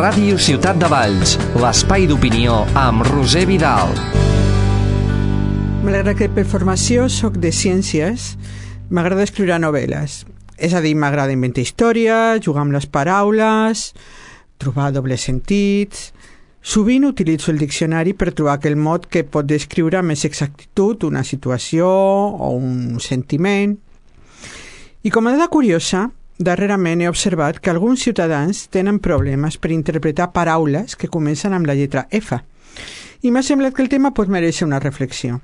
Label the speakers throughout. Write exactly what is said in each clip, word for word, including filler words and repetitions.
Speaker 1: Ràdio Ciutat de Valls, l'espai d'opinió amb Roser Vidal.
Speaker 2: Malgrat que per formació soc de ciències, m'agrada escriure novel·les. És a dir, m'agrada inventar històries, jugar amb les paraules, trobar dobles sentits. Sovint utilitzo el diccionari per trobar aquell mot que pot descriure amb més exactitud una situació o un sentiment. I com a dada curiosa, darrerament he observat que alguns ciutadans tenen problemes per interpretar paraules que comencen amb la lletra F. I m'ha semblat que el tema pot mereixer una reflexió.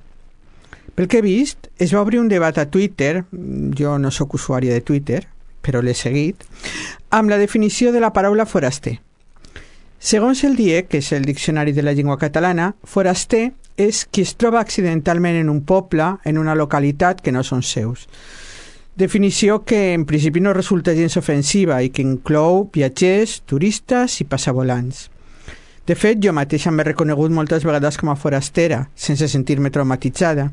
Speaker 2: Pel que he vist, es va obrir un debat a Twitter, jo no sóc usuària de Twitter, però l'he seguit, amb la definició de la paraula foraster. Segons el D I E, que és el Diccionari de la Llengua Catalana, foraster és qui es troba accidentalment en un poble, en una localitat que no són seus. Definició que en principi no resulta gens ofensiva i que inclou viatgers, turistes i passavolants. De fet, jo mateixa m'he reconegut moltes vegades com a forastera, sense sentir-me traumatitzada.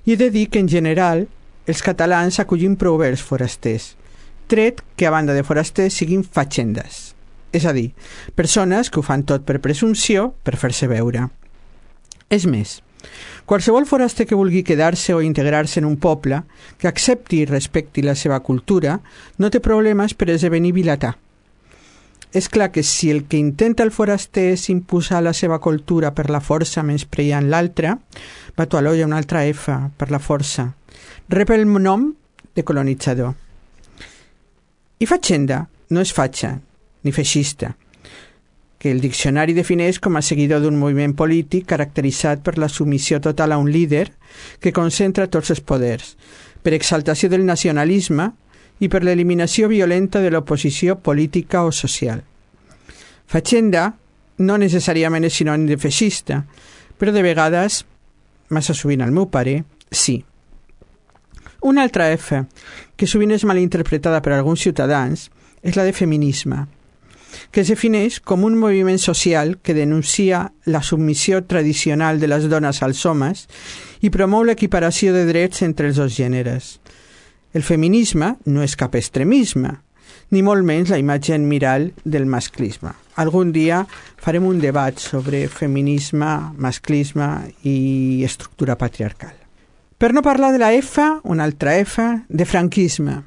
Speaker 2: I he de dir que, en general, els catalans acollim prou bé els forasters, tret que, a banda de forasters, siguin fatxendes. És a dir, persones que ho fan tot per presumpció, per fer-se veure. És més, qualsevol foraster que vulgui quedar-se o integrar-se en un poble, que accepti i respecti la seva cultura, no té problemes per esdevenir vilatà. És clar que si el que intenta el foraster és imposar la seva cultura per la força menyspreant l'altre, va tu a l'olla una altra F per la força, rep el nom de colonitzador. I fatxenda no és fatxa, ni feixista, que el diccionari defineix com a seguidor d'un moviment polític caracteritzat per la submissió total a un líder que concentra tots els poders, per exaltació del nacionalisme i per l'eliminació violenta de l'oposició política o social. Fatxenda no necessàriament és sinònim de feixista, però de vegades, massa sovint al meu pare, sí. Una altra F, que sovint és malinterpretada per alguns ciutadans, és la de feminisme, que es defineix com un moviment social que denuncia la submissió tradicional de les dones als homes i promou l'equiparació de drets entre els dos gèneres. El feminisme no és cap extremisme, ni molt menys la imatge en mirall del masclisme. Algun dia farem un debat sobre feminisme, masclisme i estructura patriarcal. Per no parlar de la F, una altra F, de franquisme,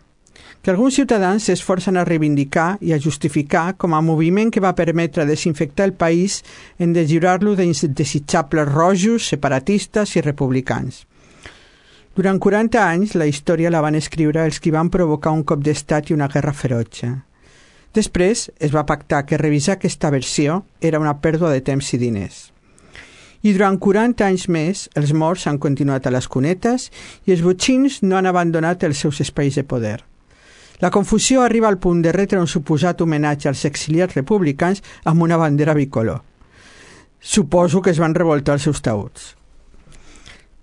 Speaker 2: que alguns ciutadans s'esforcen a reivindicar i a justificar com a moviment que va permetre desinfectar el país en deslliurar-lo d'indesitjables rojos, separatistes i republicans. Durant quaranta anys, la història la van escriure els qui van provocar un cop d'estat i una guerra ferotge. Després es va pactar que revisar aquesta versió era una pèrdua de temps i diners. I durant quaranta anys més, els morts han continuat a les cunetes i els botxins no han abandonat els seus espais de poder. La confusió arriba al punt de retre un suposat homenatge als exiliats republicans amb una bandera bicolor. Suposo que es van revoltar els seus taüts.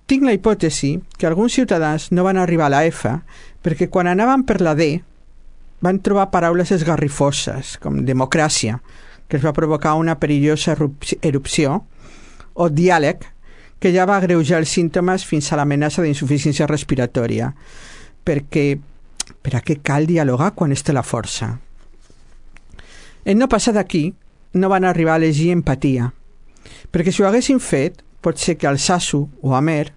Speaker 2: Tinc la hipòtesi que alguns ciutadans no van arribar a la F perquè quan anaven per la D van trobar paraules esgarrifoses, com democràcia, que es va provocar una perillosa erupció, o diàleg, que ja va agreujar els símptomes fins a l'amenaça d'insuficiència respiratòria, perquè per a què cal dialogar quan es té la força? En no passar d'aquí, no van arribar a elegir empatia, perquè si ho haguessin fet, pot ser que Alsasu o Amer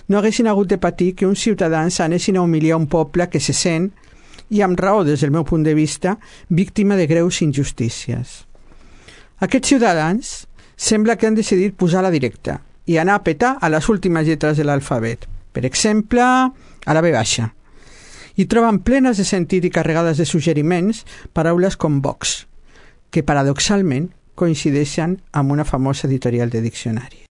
Speaker 2: no haguessin hagut de patir que uns ciutadans anessin a humiliar un poble que se sent, i amb raó des del meu punt de vista, víctima de greus injustícies. Aquests ciutadans sembla que han decidit posar la directa i anar a petar a les últimes lletres de l'alfabet, per exemple, a la B baixa, i troben plenes de sentit i carregades de suggeriments paraules com Vox, que paradoxalment coincideixen amb una famosa editorial de diccionari.